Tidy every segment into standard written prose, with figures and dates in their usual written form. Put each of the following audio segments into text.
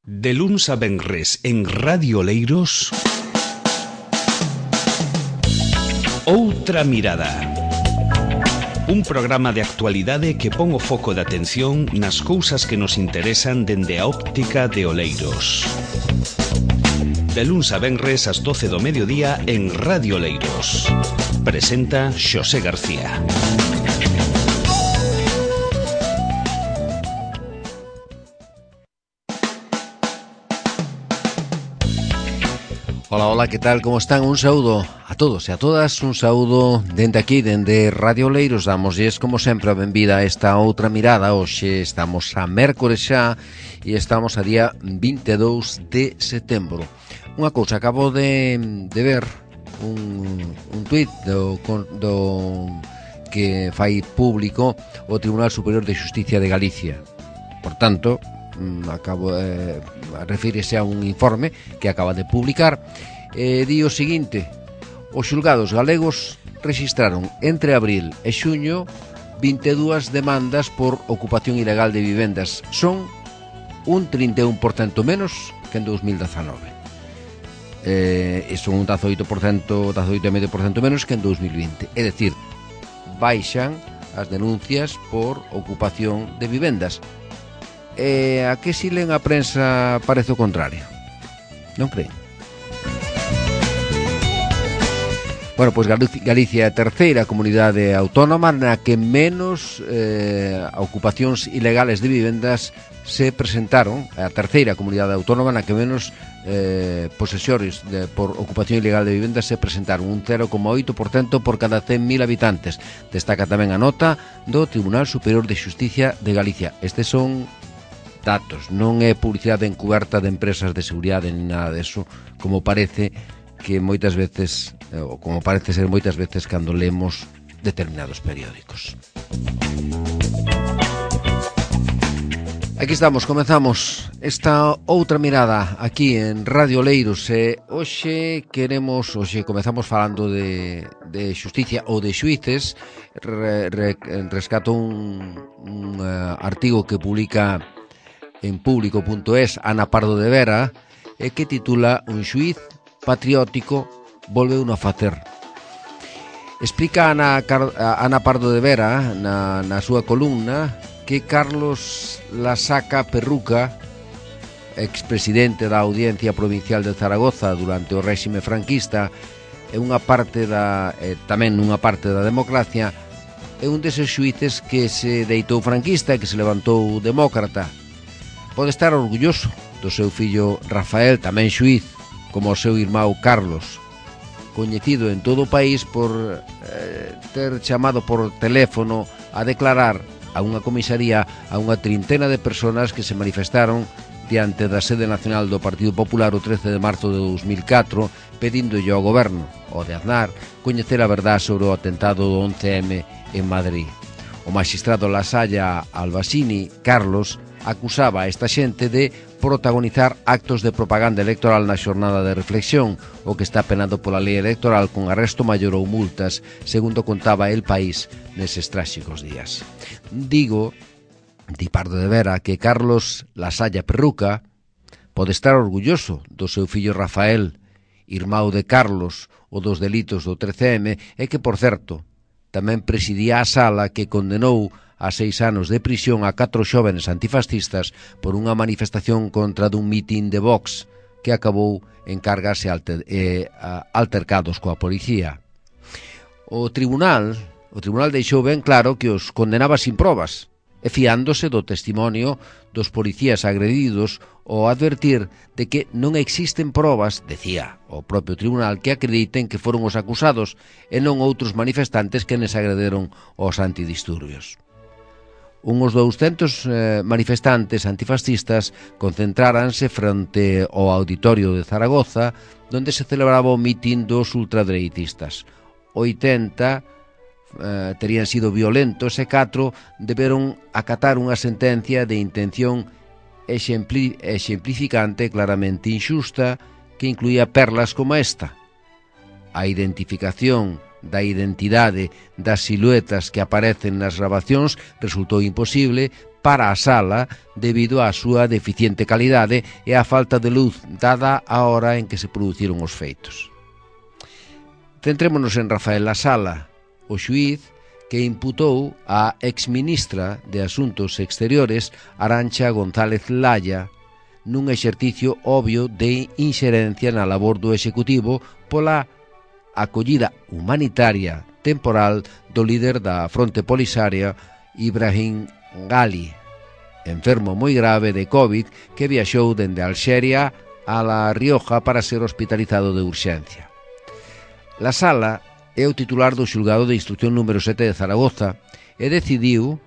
De luns a venres en Radio Oleiros, Outra Mirada. Un programa de actualidade que pon o foco de atención nas cousas que nos interesan dende a óptica de Oleiros. De luns a venres ás 12 do mediodía en Radio Oleiros. Presenta Xosé García. Hola, hola, que tal, como están? Un saúdo a todos e a todas, un saúdo dende aquí, dende Radio Oleiros. Damosles, como sempre, a benvida a esta outra mirada. Hoxe estamos a mércores xa e estamos a día 22 de setembro. Unha cousa, acabo de ver un tuit do que fai público o Tribunal Superior de Xusticia de Galicia. Por tanto, refírese a un informe que acaba de publicar. Di o seguinte: os xulgados galegos rexistraron entre abril e xuño 22 demandas por ocupación ilegal de vivendas. Son un 31% menos que en 2019. E son un 18,5% menos que en 2020. É dicir, baixan as denuncias por ocupación de vivendas. A que si len a prensa parece o contrario? Non creen? Bueno, pois Galicia é a terceira comunidade autónoma na que menos ocupacións ilegales de vivendas se presentaron. A terceira comunidade autónoma na que menos posesores por ocupación ilegal de vivendas se presentaron, un 0,8% por cada 100.000 habitantes. Destaca tamén a nota do Tribunal Superior de Xusticia de Galicia. Estes son datos, non é publicidade encuberta de empresas de seguridade ni nada deso, como parece que moitas veces, ou como parece ser moitas veces cando lemos determinados periódicos. Aquí estamos, comezamos esta outra mirada aquí en Radio Oleiros. Hoxe comezamos falando de xusticia ou de xuíces. Rescato un artigo que publica en público.es Ana Pardo de Vera, que titula "Un xuíz patriótico volveu a facer". Explica Ana Pardo de Vera na súa columna que Carlos Lasaca Perruca, expresidente da Audiencia Provincial de Zaragoza durante o réxime franquista, tamén nunha parte da democracia, é un deses xuíces que se deitou franquista e que se levantou demócrata. Pode estar orgulloso do seu fillo Rafael, tamén xuíz, como o seu irmão Carlos, coñecido en todo o país por ter chamado por teléfono a declarar a unha comisaría a unha trintena de personas que se manifestaron diante da sede nacional do Partido Popular o 13 de marzo de 2004, pedíndolle ao goberno, o de Aznar, coñecer a verdade sobre o atentado do 11M en Madrid. O magistrado Lasalla Albasini, Carlos, acusaba a esta xente de protagonizar actos de propaganda electoral na xornada de reflexión, o que está penado pola lei electoral con arresto maior ou multas, segundo contaba El País neses tráxicos días. Di Pardo de Vera que Carlos Lasalla Perruca pode estar orgulloso do seu fillo Rafael, irmão de Carlos, o dos delitos do 13M, e que, por certo, tamén presidía a sala que condenou a 6 anos de prisión a 4 xóvenes antifascistas por unha manifestación contra dun mitin de Vox que acabou en cargas e altercados coa policía. O tribunal deixou ben claro que os condenaba sin probas e fiándose do testimonio dos policías agredidos ao advertir de que non existen probas, decía o propio tribunal, que acrediten que foron os acusados e non outros manifestantes que les agrederon aos antidisturbios. Uns 200 manifestantes antifascistas concentráranse frente ao auditorio de Zaragoza, onde se celebraba o mitin dos ultradereitistas. 80 terían sido violentos e 4 deberon acatar unha sentencia de intención exemplificante claramente injusta que incluía perlas como esta: a identificación da identidade das siluetas que aparecen nas grabacións resultou imposible para a sala debido á súa deficiente calidade e á falta de luz dada a hora en que se produciron os feitos. Centrémonos en Rafael Lasala, o xuíz que imputou a exministra de Asuntos Exteriores Arantxa González Laya nun exercicio obvio de inxerencia na labor do Executivo pola acollida humanitaria temporal do líder da Fronte Polisaria Ibrahim Gali, enfermo moi grave de COVID que viaxou dende Alxeria a La Rioja para ser hospitalizado de urxencia. Lasala é o titular do xulgado de instrucción número 7 de Zaragoza e decidiu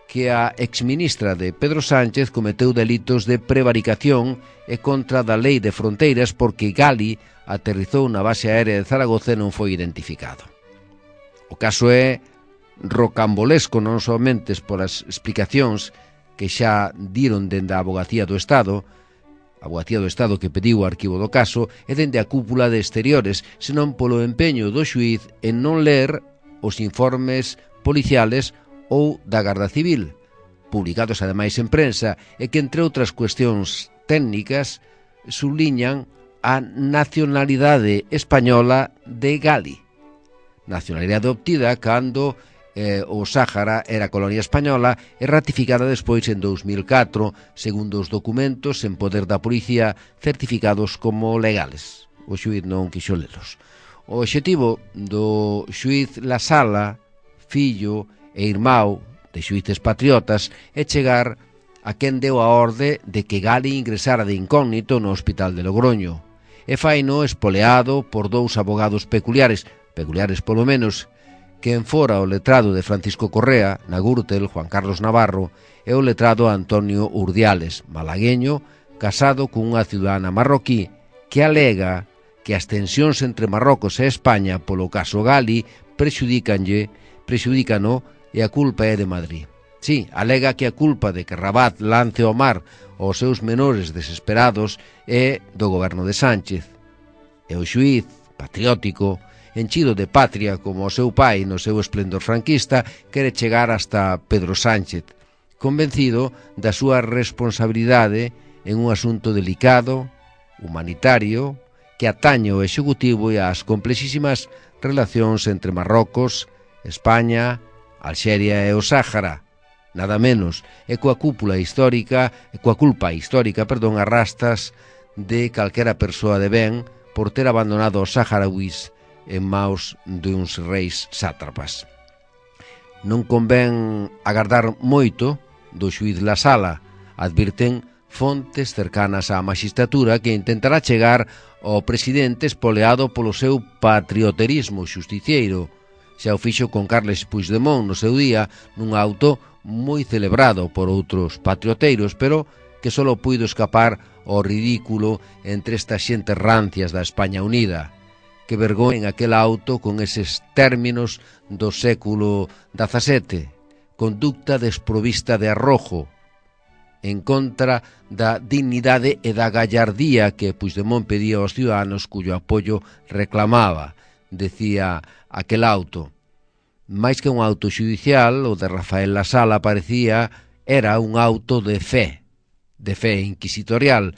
que a exministra de Pedro Sánchez cometeu delitos de prevaricación e contra da lei de fronteiras porque Gali aterrizou na base aérea de Zaragoza e non foi identificado. O caso é rocambolesco non somente polas explicacións que xa diron dende a Avogacía do Estado que pediu o arquivo do caso e dende a cúpula de Exteriores, senón polo empeño do xuíz en non ler os informes policiales ou da Garda Civil, publicados ademais en prensa, e que, entre outras cuestións técnicas, subliñan a nacionalidade española de Gali, nacionalidade obtida cando o Sáhara era colonia española e ratificada despois en 2004, segundo os documentos en poder da policía certificados como legales. O xuíz non quixo lelos. O obxectivo do xuíz Lasala, fillo e irmão de xuíces patriotas, é chegar a quen deu a orde de que Gali ingresara de incógnito no hospital de Logroño, e faino espoleado por dous abogados peculiares polo menos, quen fora o letrado de Francisco Correa, na Gürtel, Juan Carlos Navarro, e o letrado Antonio Urdiales, malagueño, casado cunha ciudadana marroquí, que alega que as tensións entre Marrocos e España polo caso Gali prexudícano e a culpa é de Madrid. Sí, alega que a culpa de que Rabat lance ao mar os seus menores desesperados é do goberno de Sánchez. E o xuíz, patriótico, enchido de patria como o seu pai no seu esplendor franquista, quere chegar hasta Pedro Sánchez, convencido da súa responsabilidade en un asunto delicado, humanitario, que atañe ao Executivo e ás complexísimas relacións entre Marrocos, España, Alxeria e o Sáhara, nada menos, e coa culpa histórica, arrastas de calquera persoa de ben por ter abandonado os saharauis en maus duns reis sátrapas. Non convén agardar moito do xuíz Lasala, advirten fontes cercanas á magistratura que intentará chegar ao presidente espoleado polo seu patrioterismo xusticiero. Xa o fixo con Carles Puigdemont no seu día nun auto moi celebrado por outros patrioteiros, pero que só puido escapar ao ridículo entre estas xentes rancias da España Unida, que vergoen aquel auto con eses términos do século XVII, conducta desprovista de arrojo, en contra da dignidade e da gallardía que Puigdemont pedía aos ciudadanos cuyo apoio reclamaba, decía aquel auto. Mais que un auto xudicial, o de Rafael Lasala parecía era un auto de fe inquisitorial,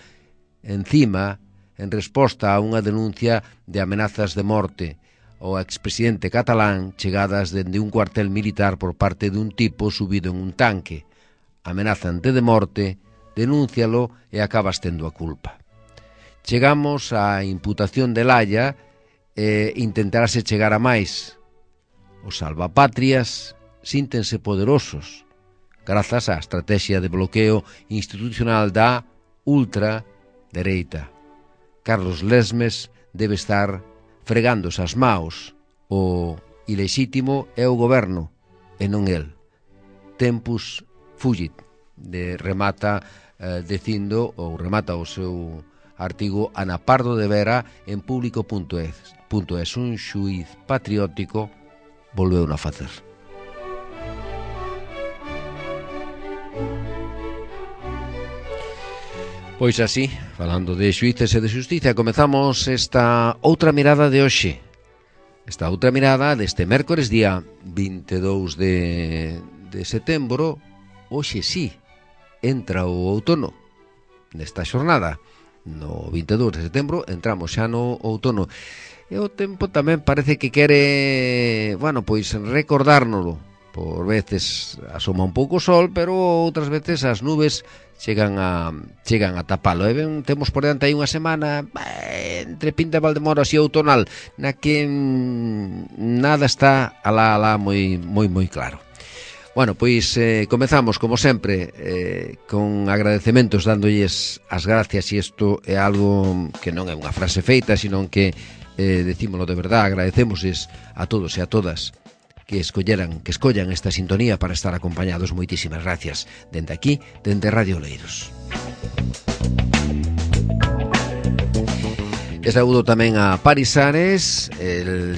encima, en resposta a unha denuncia de amenazas de morte ao expresidente catalán chegadas dende un cuartel militar por parte dun tipo subido en un tanque. Amenazante de morte, denúncialo e acabas tendo a culpa. Chegamos á imputación de Laya e intentarase chegar a máis. Os salvapatrias síntense poderosos grazas á estrategia de bloqueo institucional da ultradereita. Carlos Lesmes debe estar fregándose as maos. O ilexítimo é o goberno e non el. Tempus fugit, remata o seu artigo Ana Pardo de Vera en público.es. Un xuíz patriótico volveu a facer. Pois así, falando de xuíces e de xustiza, comezamos esta outra mirada de hoxe. esta outra mirada deste mércores día 22 de setembro. Hoxe sí, entra o outono nesta xornada. No 22 de setembro entramos xa no outono. E o tempo tamén parece que quere, bueno, pois recordárnoslo. Por veces asoma un pouco o sol, pero outras veces as nubes chegan a tapalo. E ben, temos por diante aí unha semana entre Pinta e Valdemoro así outonal, na que nada está alá moi claro. Bueno, pois comezamos, como sempre, con agradecementos, dándolles as gracias, e isto é algo que non é unha frase feita, sino que decímolo de verdad. Agradecémosles a todos e a todas que escollan esta sintonía para estar acompañados. Moitísimas gracias dende aquí, dende Radio Oleiros. E saúdo tamén a Paris Ares,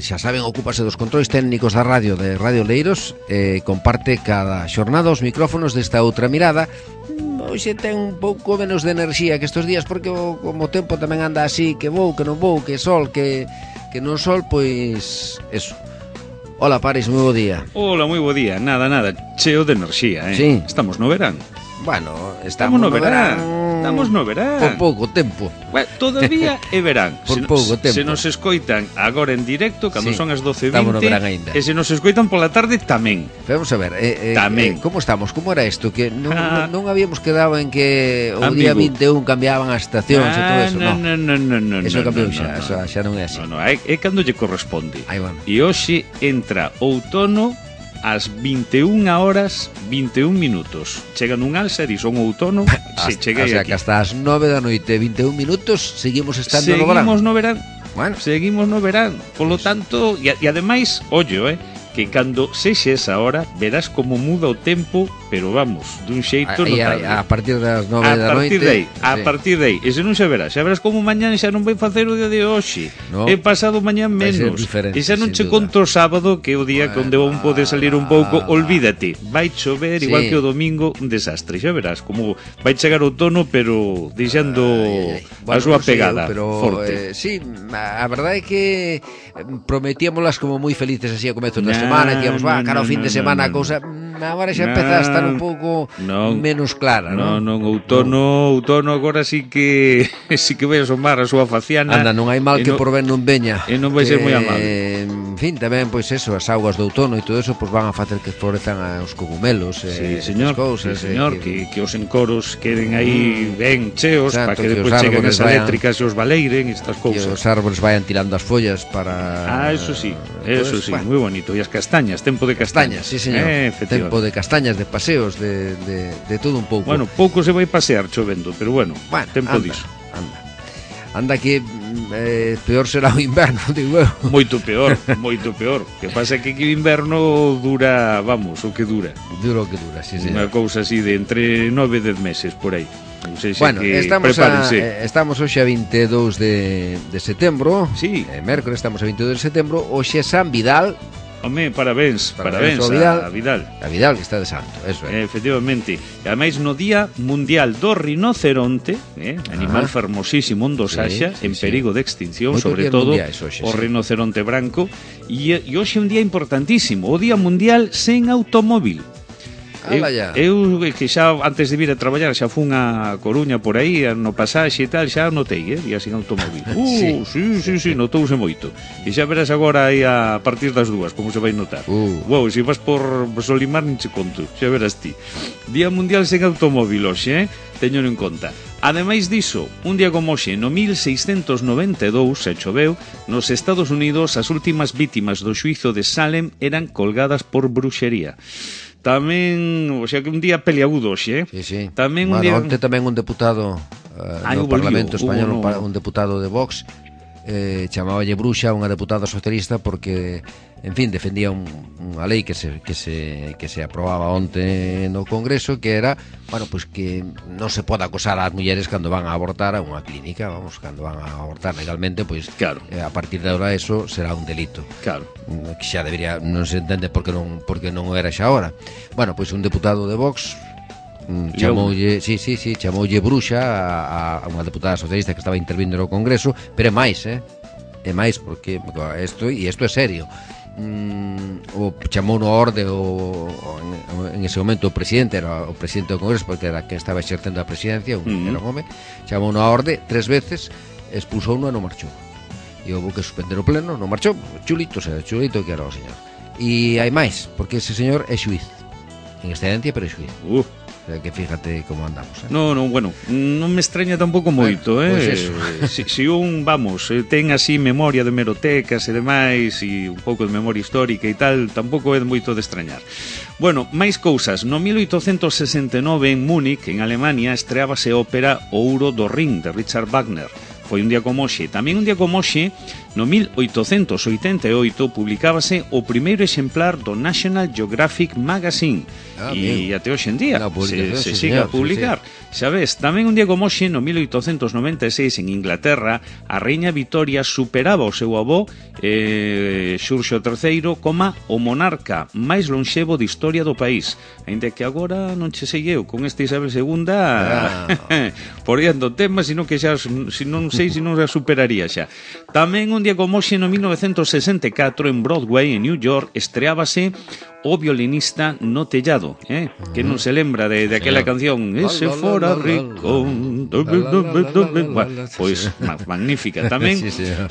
xa saben, ocúpase dos controis técnicos da radio de Radio Oleiros, comparte cada xornada os micrófonos desta outra mirada. Hoxe ten un pouco menos de enerxía que estes días, porque como o tempo tamén anda así, que vou, que non vou, que sol, que non sol, pois eso. Hola Paris, moi bo día. Hola, moi bo día. Nada, cheo de enerxía, Sí. Estamos no verán. Bueno, estamos no verán. Estamos no verán. Por pouco tempo. Bueno, todavía é verán. Por pouco tempo. Se nos escoitan agora en directo, cando son as 12:20, estamos no verán aínda. E se nos escoitan pola tarde tamén. Vamos a ver, tamén. Como estamos? Como era isto? Que non habíamos quedado en que o día 21 cambiaban as estacións e todo eso, non? Non. Eso cambiou xa, xa non é así. Non, é cando lle corresponde. Aí van. E hoxe entra outono ás 21 horas 21 minutos. Chega nun alza e son outono. Se cheguei aquí. O sea, que hasta as 9 da noite 21 minutos seguimos estando no verán. Seguimos no verán. Bueno. Seguimos no verán. Polo tanto, e ademais, ollo, que cando sexe esa hora verás como muda o tempo, pero vamos, dun xeito notable. A partir das 9 da noite. A partir de aí. E se non xa verás como mañán xa non vai facer o día de hoxe. No, e pasado mañán menos. E xa non che conto o sábado, que é o día onde un pode salir un pouco, olvídate. Vai chover igual que o domingo, un desastre. Xa verás como vai chegar o outono, pero deixando a súa pegada forte. Sí, a verdade é que prometíamolas como moi felices así a comezos da semana, que íamos, cara ao fin de semana a cousa, agora xa empeza a estar un pouco menos clara, non? Non, outono agora sí que vai asomar a súa faciana. Anda, non hai mal que por ben non veña. E non vai ser moi amable. En fin, tamén, pois eso, as augas do outono e todo eso, pois van a facer que florezan os cogumelos, señor, cousas, señor, que os encoros queden aí ben cheos, para que depois cheguen as eléctricas e os valeiren, estas cousas. Que os árboles vayan tirando as follas para... Eso sí, moi bonito. E as castañas, tempo de castañas. Sí, señor, tempo de castañas, de paseos, de todo un pouco. Bueno, pouco se vai pasear chovendo, pero bueno, tempo diso. Anda que peor será o inverno, digo eu. Moito peor. Que pasa que o inverno dura, vamos, o que dura. Dura o que dura, sí, sí. Unha cousa así de entre 9 e 10 meses, por aí. Bueno, estamos hoxe a 22 de setembro. Sí. Mércores, estamos a 22 de setembro. Hoxe é San Vidal. Home, parabéns a Vidal. A Vidal, que está de santo, eso é. Efectivamente. E ademais no Día Mundial do Rinoceronte, animal fermosísimo, onde os haxa, en perigo de extinción, sobre todo o rinoceronte branco. E hoxe é un día importantísimo, o Día Mundial sen automóvil. Eu que xa antes de vir a traballar xa fun a Coruña por aí no pasaxe e tal, xa notei, día sin automóvil. Sí, notouse moito. E xa verás agora aí a partir das 2 como se vai notar. Se vas por Solimar nin che conto, xa verás ti. Día Mundial sen automóvil hoxe, teño en conta. Ademais diso, un día como hoxe, no 1692, se choveu, nos Estados Unidos as últimas vítimas do xuízo de Salem eran colgadas por bruxería. Tamén, o sea, que un día peleagudo hoxe, Sí. Tamén un día... Onte tamén un deputado no Parlamento Español, un deputado de Vox, chamáballe bruxa a unha deputada socialista porque, en fin, defendía unha lei que se aprobaba onte no Congreso, que era, bueno, pues que non se pode acosar ás mulleres cando van a abortar a unha clínica, vamos, cando van a abortar legalmente, pois claro. A partir de agora eso será un delito. Claro. Que xa debería, non se entende porque non era xa ahora. Bueno, pois un deputado de Vox chamoulle bruxa a unha deputada socialista que estaba intervindo no Congreso, pero é máis, e máis porque isto é serio. O chamou no orde en ese momento o presidente, era o presidente do Congreso porque era quen estaba exercendo a presidencia, era un home, chamou no orde 3 veces, expulsou e non marchou, e houve que suspender o pleno, non marchou, chulito que era o señor. E hai máis, porque ese señor é xuiz en excedencia, pero é xuiz. Que fíjate como andamos, No, bueno, non me extraña tampouco moito, Pois eso. Si un, ten así memoria de hemerotecas e demais, e un pouco de memoria histórica e tal, tampouco é moito de extrañar. Bueno, máis cousas. No 1869 en Múnich, en Alemania, estreábase a ópera O Ouro do Rin, de Richard Wagner. Foi un día como hoxe. Tamén un día como hoxe, no 1888, publicábase o primeiro exemplar do National Geographic Magazine. E até hoxe en día se siga a publicar. Xa ves, tamén un día como hoxe, no 1896, en Inglaterra, a Reina Victoria superaba o seu avó, Xurxo III, como o monarca máis lonxevo de historia do país. Ainda que agora non che sei eu, con esta Isabel II, poriando temas, sino que xa, non sei se non a superaría xa. Tamén un día como hoxe, no 1964, en Broadway, en New York, estreábase O violinista no tellado, que non se lembra de aquela canción Ese fora rico. Pois magnífica. Tamén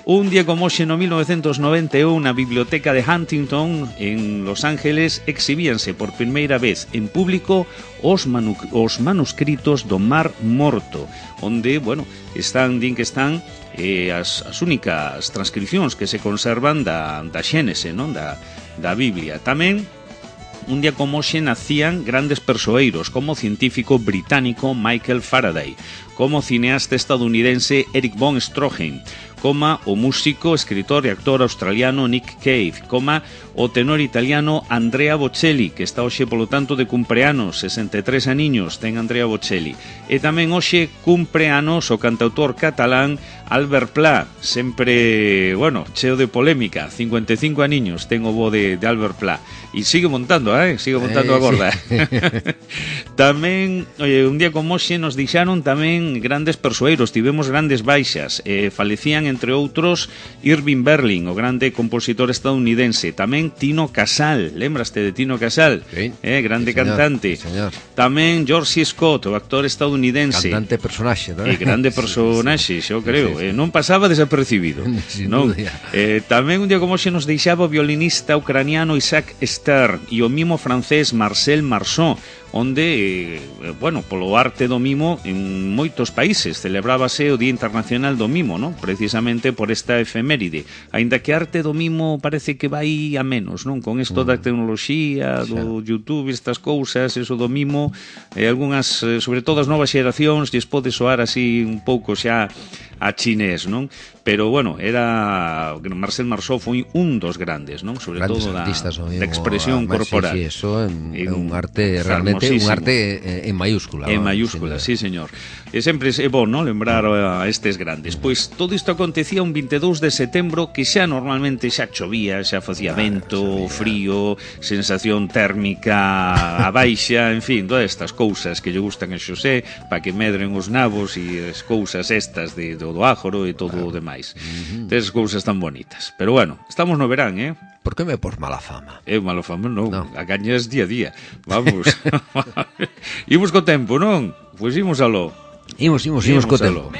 un día como hoxe, no 1991, na biblioteca de Huntington en Los Ángeles, exhibíanse por primeira vez en público os manuscritos do Mar Morto, onde, bueno, din que están as únicas transcripcións que se conservan da Xénese, non? Da Biblia. Tamén un día como hoxe nacían grandes persoeiros, como o científico británico Michael Faraday, como o cineasta estadounidense Erich von Stroheim, como o músico, escritor e actor australiano Nick Cave, como o tenor italiano Andrea Bocelli, que está hoxe polo tanto de cumpleanos, 63 aniños ten Andrea Bocelli. E tamén hoxe cumpleanos o cantautor catalán Albert Pla, sempre, bueno, cheo de polémica, 55 aniños ten o bo de Albert Pla. E sigue montando, sigue montando a gorda. Sí. Tamén, un día como hoxe nos deixaron tamén grandes persoeiros, tivemos grandes baixas, falecían entre outros Irving Berlin, o grande compositor estadounidense, tamén Tino Casal, lembraste de Tino Casal? Sí, grande sí, señor, cantante. sí, señor. Tamén George C. Scott, o actor estadounidense. Cantante personaxe, non? Grande personaxe, xo creo. Sí. Non pasaba desapercibido. Non? Tamén un día como hoxe nos deixaba o violinista ucraniano Isaac Stern e o mimo francés Marcel Marceau, onde, bueno, polo arte do mimo en moitos países celebrábase o Día Internacional do Mimo, non? Precisamente por esta efeméride. Aínda que a arte do mimo parece que vai a menos, non? Con isto da tecnoloxía, do YouTube, estas cousas, eso do mimo, algunhas, sobre todo as novas xeracións, lles pode soar así un pouco xa a chinés, non? Pero, bueno, era Marcel Marceau foi un dos grandes, non? Sobre grandes todo da expresión corporal. Sí, eso é un arte realmente, un arte en mayúscula. En mayúscula, sí, señor. E sempre é bon, non? Lembrar a estes grandes. Pois todo isto acontecía un 22 de setembro, que xa normalmente xa chovía, xa facía vento, frío, sensación térmica a baixa, en fin, todas estas cousas que lle gustan a Xosé, para que medren os nabos e as cousas estas do ájoro e todo o demais. Tes cousas tan bonitas. Pero bueno, estamos no verán, Por que me pos mala fama? Mala fama non, a gañas día a día. Vamos. Imos co tempo, non? Pois imos aló. Imos co tempo.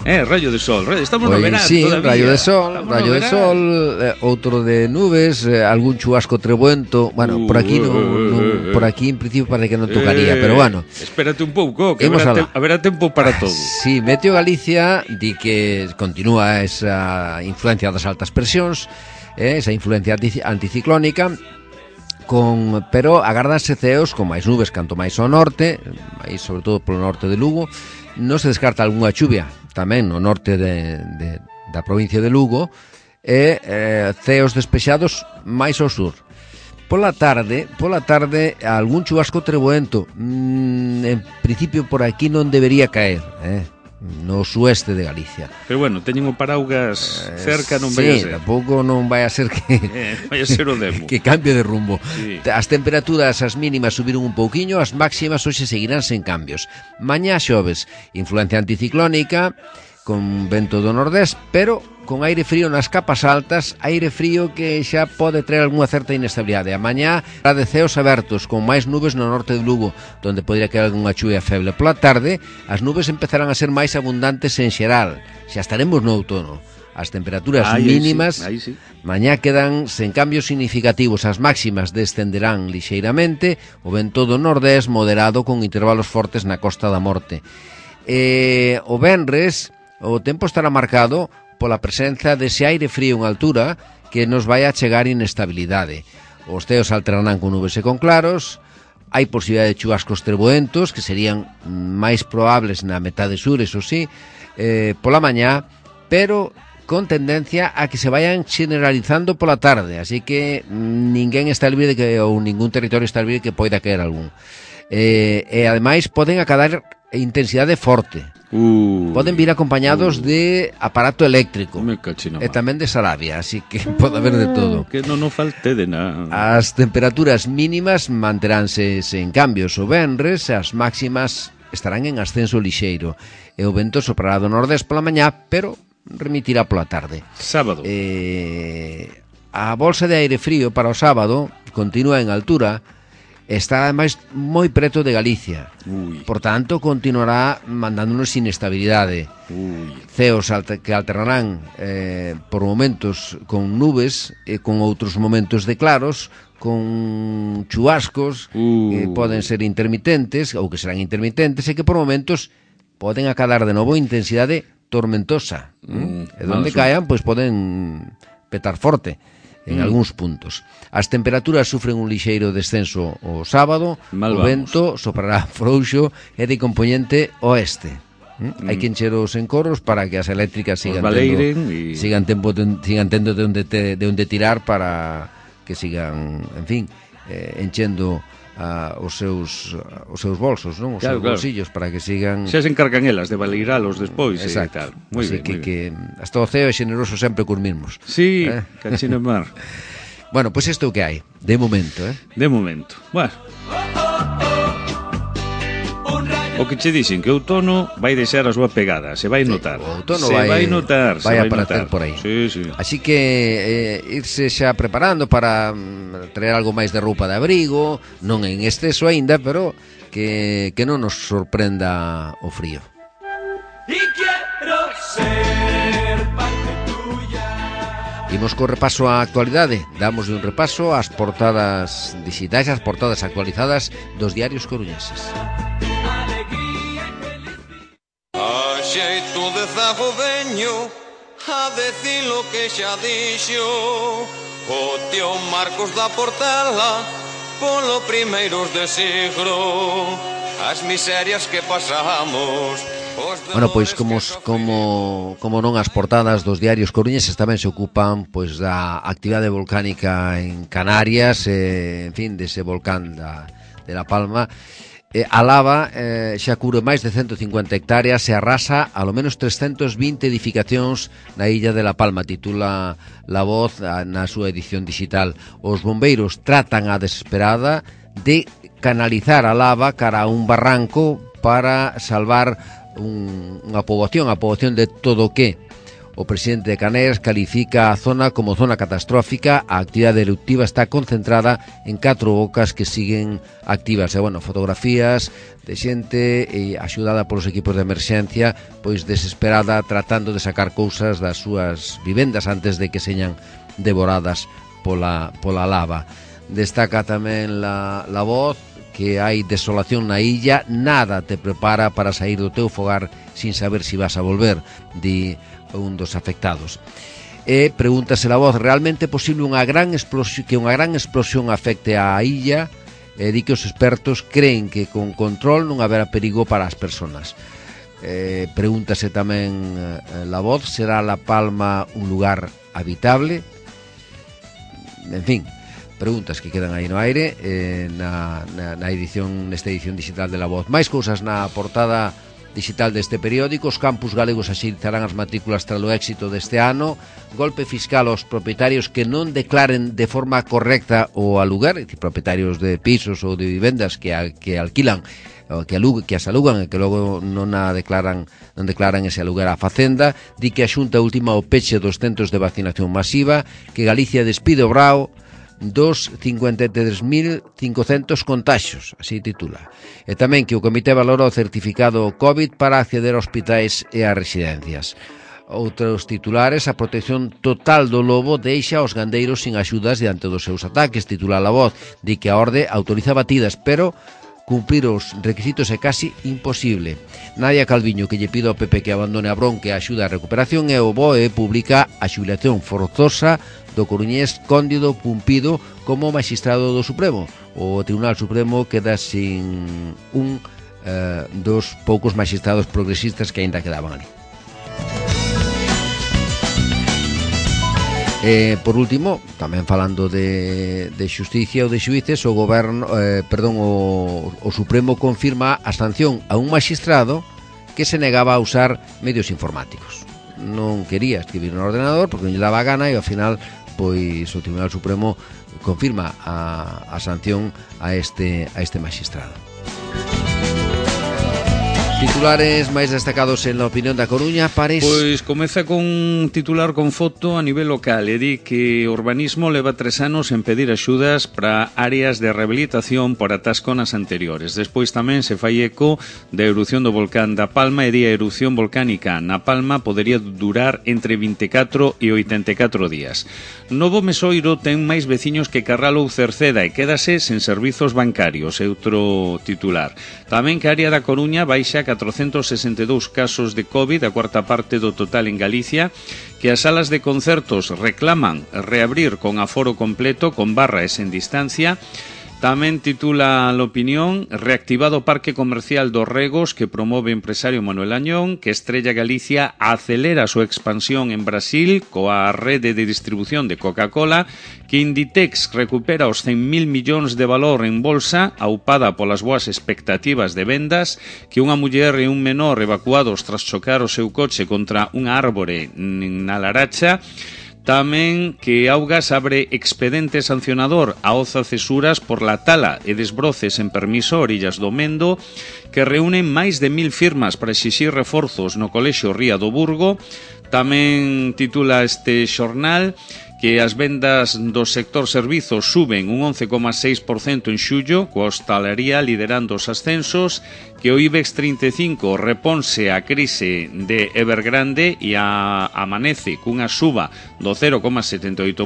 Rayo de sol, estamos no verán sí, todavía. Rayo de sol, outro de nubes, algún chubasco trebuento. Bueno, por aquí por aquí en principio parece que non tocaría, pero bueno. Espérate un pouco, que haberá tempo para todo. Sí, Meteo Galicia di que continúa esa influencia das altas presións, esa influencia anticiclónica, pero agárdanse ceos con máis nubes canto máis ao norte, aí sobre todo polo norte de Lugo. Non se descarta algunha chuvia tamén no norte da provincia de Lugo e ceos despexados máis ao sur. Pola tarde algún chubasco trebuento, en principio por aquí non debería caer, no sueste de Galicia. Pero bueno, teñen o paraugas cerca, non vai a ser. Sí, tampouco non vai a ser que vai a ser o demo. que cambie de rumbo. Sí. As temperaturas, as mínimas subiron un pouquiño, as máximas hoxe seguirán sen cambios. Mañá xoves, influencia anticiclónica, con vento do nordés, pero con aire frío nas capas altas, aire frío que xa pode traer algunha certa inestabilidade. A mañá será de ceos abertos, con máis nubes no norte de Lugo, donde podría caer algunha chuvia feble. Pola tarde, as nubes empezarán a ser máis abundantes en xeral. Xa estaremos no outono. As temperaturas mínimas aí sí. Mañá quedan sen cambios significativos. As máximas descenderán lixeiramente, o vento do nordés moderado con intervalos fortes na Costa da Morte. O venres o tempo estará marcado pola presenza dese aire frío en altura que nos vai a chegar inestabilidade. Os ceos alternarán con nubes e con claros, hai posibilidade de chubascos treboentos que serían máis probables na metade sur, eso sí, pola mañá, pero con tendencia a que se vayan generalizando pola tarde, así que ninguén está libre de que, ou ningún territorio está libre de que poida caer algún. E ademais poden acadar intensidade forte. Poden vir acompañados de aparato eléctrico e tamén de Sarabia, así que pode haber de todo. Que non falte de nada. As temperaturas mínimas manteránse sen cambios o venres, as máximas estarán en ascenso lixeiro e o vento soprará do nordés pola mañá, pero remitirá pola tarde. Sábado. A bolsa de aire frío para o sábado continúa en altura. Está ademais moi preto de Galicia. Por tanto, continuará mandándonos inestabilidade. Ceos que alternarán por momentos con nubes e con outros momentos de claros, con chubascos que poden ser intermitentes ou que serán intermitentes e que por momentos poden acadar de novo intensidade tormentosa. E donde caian, pois poden petar forte en algúns puntos. As temperaturas sufren un lixeiro descenso o sábado, o vento soprará frouxo e de componente oeste. Hai que encher os encoros para que as eléctricas sigan tendo de onde tirar para que sigan, en fin, enchendo os seus bolsos, non? Os seus bolsillos, para que sigan... Xa se encargan elas de valeiralos despois e tal. Moi ben, que hasta o ceo é xeneroso sempre cos mismos. Sí, cachino mar. Bueno, pois isto é o que hai, de momento, De momento. Bueno. O que che dixen que o outono vai deixar a súa pegada, se vai notar. O outono vai notar, vai aparecer por aí. Sí. Así que irse xa preparando para traer algo máis de roupa de abrigo, non en exceso aínda, pero que non nos sorprenda o frío. Y quiero ser parte tuya. Imos co repaso á actualidade. Damos un repaso ás portadas digitais, ás portadas actualizadas dos diarios coruñeses. Xeito de zago veño a decir lo que xa dixo o tío Marcos da Portela polo primeiros de siglo as miserias que pasamos. Bueno, pois como non as portadas dos diarios coruñeses tamén se ocupan pois da actividade volcánica en Canarias, en fin, dese volcán de La Palma. A lava xa cubre máis de 150 hectáreas e arrasa a lo menos 320 edificacións na illa de La Palma, titula La Voz na súa edición digital. Os bombeiros tratan a desesperada de canalizar a lava cara a un barranco para salvar unha poboación, a poboación de todo o que. O presidente de Canarias califica a zona como zona catastrófica. A actividade eruptiva está concentrada en 4 bocas que siguen activas. E, bueno, fotografías de xente axudada polos equipos de emerxencia, pois desesperada, tratando de sacar cousas das súas vivendas antes de que señan devoradas pola lava. Destaca tamén la Voz que hai desolación na illa, nada te prepara para sair do teu fogar sin saber si vas a volver, di un dos afectados. E pregúntase La Voz, realmente é posible que unha gran explosión afecte á illa? E di que os expertos creen que con control non haberá perigo para as persoas. Pregúntase tamén La Voz, será La Palma un lugar habitable? En fin, preguntas que quedan aí no aire nesta edición digital de La Voz. Máis cousas na portada digital deste periódico. Os campus galegos axilizarán as matrículas tras o éxito deste ano. Golpe fiscal aos propietarios que non declaren de forma correcta o aluguer, propietarios de pisos ou de vivendas que alquilan, que as alugan e que logo non declaran ese aluguer á Facenda. Di que a Xunta ultima o peche dos centros de vacinación masiva, que Galicia despide o brao dos 53.500 contaxios, así titula. E tamén que o Comité valora o certificado COVID para acceder a hospitais e a residencias. Outros titulares: a protección total do lobo deixa aos gandeiros sin axudas diante dos seus ataques, titula La Voz. Di que a orde autoriza batidas, pero cumprir os requisitos é casi imposible. Nadia Calviño, que lle pide ao PP que abandone a bronca e axuda a recuperación, e o BOE publica a xubilación forzosa do coruñés Cóndido Pumpido como magistrado do Supremo. O Tribunal Supremo queda sin un dos poucos magistrados progresistas que aínda quedaban ali. Por último, tamén falando de xusticia ou de xuíces, o Supremo confirma a sanción a un magistrado que se negaba a usar medios informáticos. Non quería escribir no ordenador porque non lle daba gana, e ao final pois o Tribunal Supremo confirma a sanción a este magistrado. Titulares máis destacados en la opinión da Coruña, Pares. Pois comeza con un titular con foto a nivel local e di que o urbanismo leva 3 anos en pedir axudas para áreas de rehabilitación por atasco nas anteriores. Despois tamén se fai eco da erupción do volcán da Palma e di a erupción volcánica na Palma podería durar entre 24 e 84 días. Novo Mesoiro ten máis veciños que Carral ou Cerceda e quédase sen servizos bancarios, é outro titular. Tamén que a área da Coruña baixa 462 casos de COVID, a cuarta parte do total en Galicia, que as salas de concertos reclaman reabrir con aforo completo, con barra e sen distancia. Tamén titula a opinión: reactivado o Parque Comercial dos Regos que promove o empresario Manuel Añón, que Estrella Galicia acelera a súa expansión en Brasil coa rede de distribución de Coca-Cola, que Inditex recupera os 100.000 millóns de valor en bolsa, aupada polas boas expectativas de vendas, que unha muller e un menor evacuados tras chocar o seu coche contra unha árbore na Laracha. Tamén que Augas abre expedente sancionador a Oza Cesuras por la tala e desbroces en permiso Orillas do Mendo, que reúnen máis de 1.000 firmas para exixir reforzos no Colexio Ría do Burgo. Tamén titula este xornal que as vendas do sector servizos suben un 11,6% en xullo, coa hostalería liderando os ascensos, que o IBEX 35 reponse a crise de Evergrande e amanece cunha suba do 0,78%,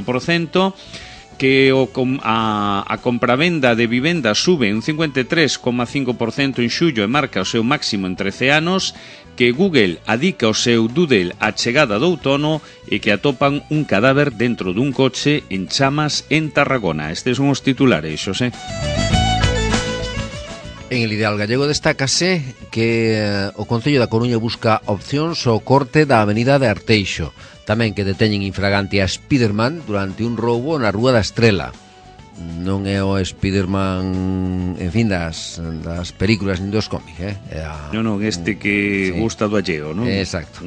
que a compravenda de vivenda sube un 53,5% en xullo e marca o seu máximo en 13 anos, que Google adica o seu Doodle á chegada do outono e que atopan un cadáver dentro dun coche en chamas en Tarragona. Estes son os titulares, Xosé. En El Ideal Gallego destácase que o Concello da Coruña busca opcións ao corte da avenida de Arteixo. Tamén que deteñen infragante a Spiderman durante un roubo na Rúa da Estrela. Non é o Spiderman, en fin, das películas nin dos cómics, Non, este que gusta do alleo, non? Exacto.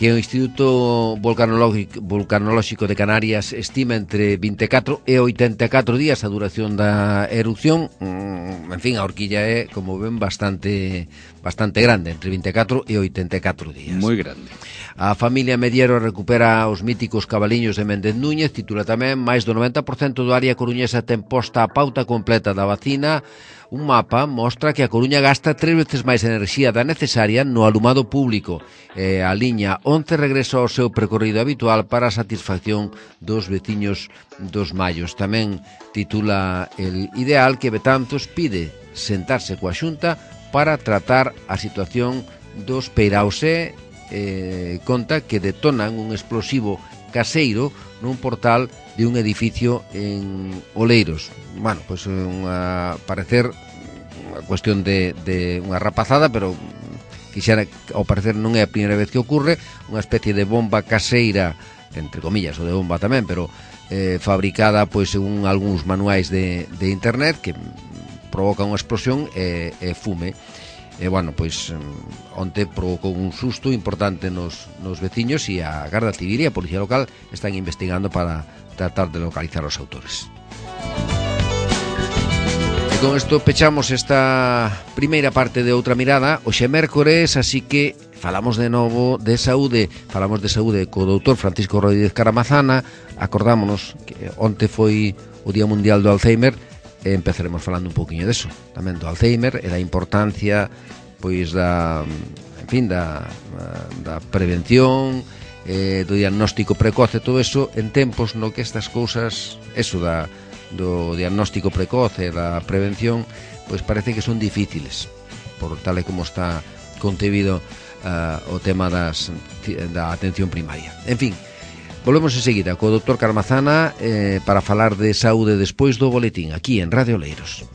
Que o Instituto Vulcanolóxico de Canarias estima entre 24 e 84 días a duración da erupción. En fin, a horquilla é, como ven, bastante grande, entre 24 e 84 días. Moi grande. A familia Mediero recupera os míticos cabaliños de Méndez Núñez. Titula tamén: máis do 90% do área coruñesa ten posta a pauta completa da vacina. Un mapa mostra que a Coruña gasta 3 veces máis enerxía da necesaria no alumado público. A liña 11 regresa ao seu percorrido habitual para a satisfacción dos veciños dos Mallos. Tamén titula El Ideal que Betanzos pide sentarse coa Xunta para tratar a situación dos Peiraos e conta que detonan un explosivo caseiro nun portal de un edificio en Oleiros. Bueno, pois parecer unha cuestión de unha rapazada, pero quixera, ao parecer non é a primeira vez que ocurre, unha especie de bomba caseira, entre comillas, ou de bomba tamén, pero fabricada pois según algúns manuais de internet, que provoca unha explosión e fume. E, bueno, pois onte provocou un susto importante nos veciños e a Garda Civil e a Policía Local están investigando para tratar de localizar os autores. E con isto pechamos esta primeira parte de Outra Mirada. Hoxe é mércores, así que falamos de novo de saúde. Falamos de saúde co doutor Francisco Rodríguez Caramazana. Acordámonos que onte foi o Día Mundial do Alzheimer. E empezaremos falando un poquinho deso, tamén do Alzheimer e da importancia pois da prevención, do diagnóstico precoce, todo eso en tempos no que estas cousas, eso do diagnóstico precoce e da prevención, pois parece que son difíciles, por tal e como está concebido o tema da atención primaria. En fin, volvemos enseguida co doutor Caramazana para falar de saúde despois do boletín aquí en Radio Oleiros.